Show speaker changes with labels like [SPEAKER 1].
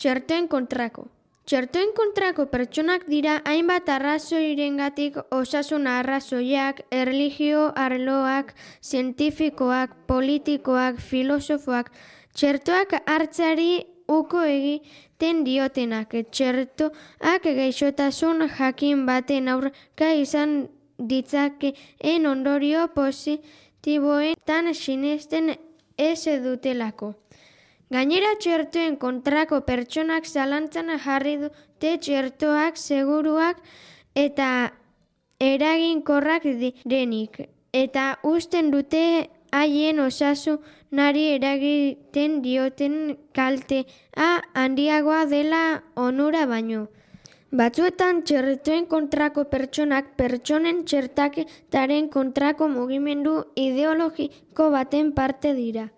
[SPEAKER 1] Txertoen kontrako. Txertoen kontrako pertsonak dira hainbat arrazoirengatik osasun arrazoiak, erlijio arloak, zientifikoak, politikoak, filosofoak, txertoak hartzeari uko egiten diotenak. Txertoak gaixotasun jakin baten aurka izan ditzakeen ondorio positiboetan sinesten ez dutelako. Gainera, txertoen kontrako pertsonak zalantzan jarri dute txertoak seguruak eta eraginkorrak direnik, eta usten dute haien osasunari eragiten dioten kaltea handiagoa dela onura baino. Batzuetan txertoen kontrako pertsonak pertsonen txertaketaren kontrako mugimendu ideologiko baten parte dira.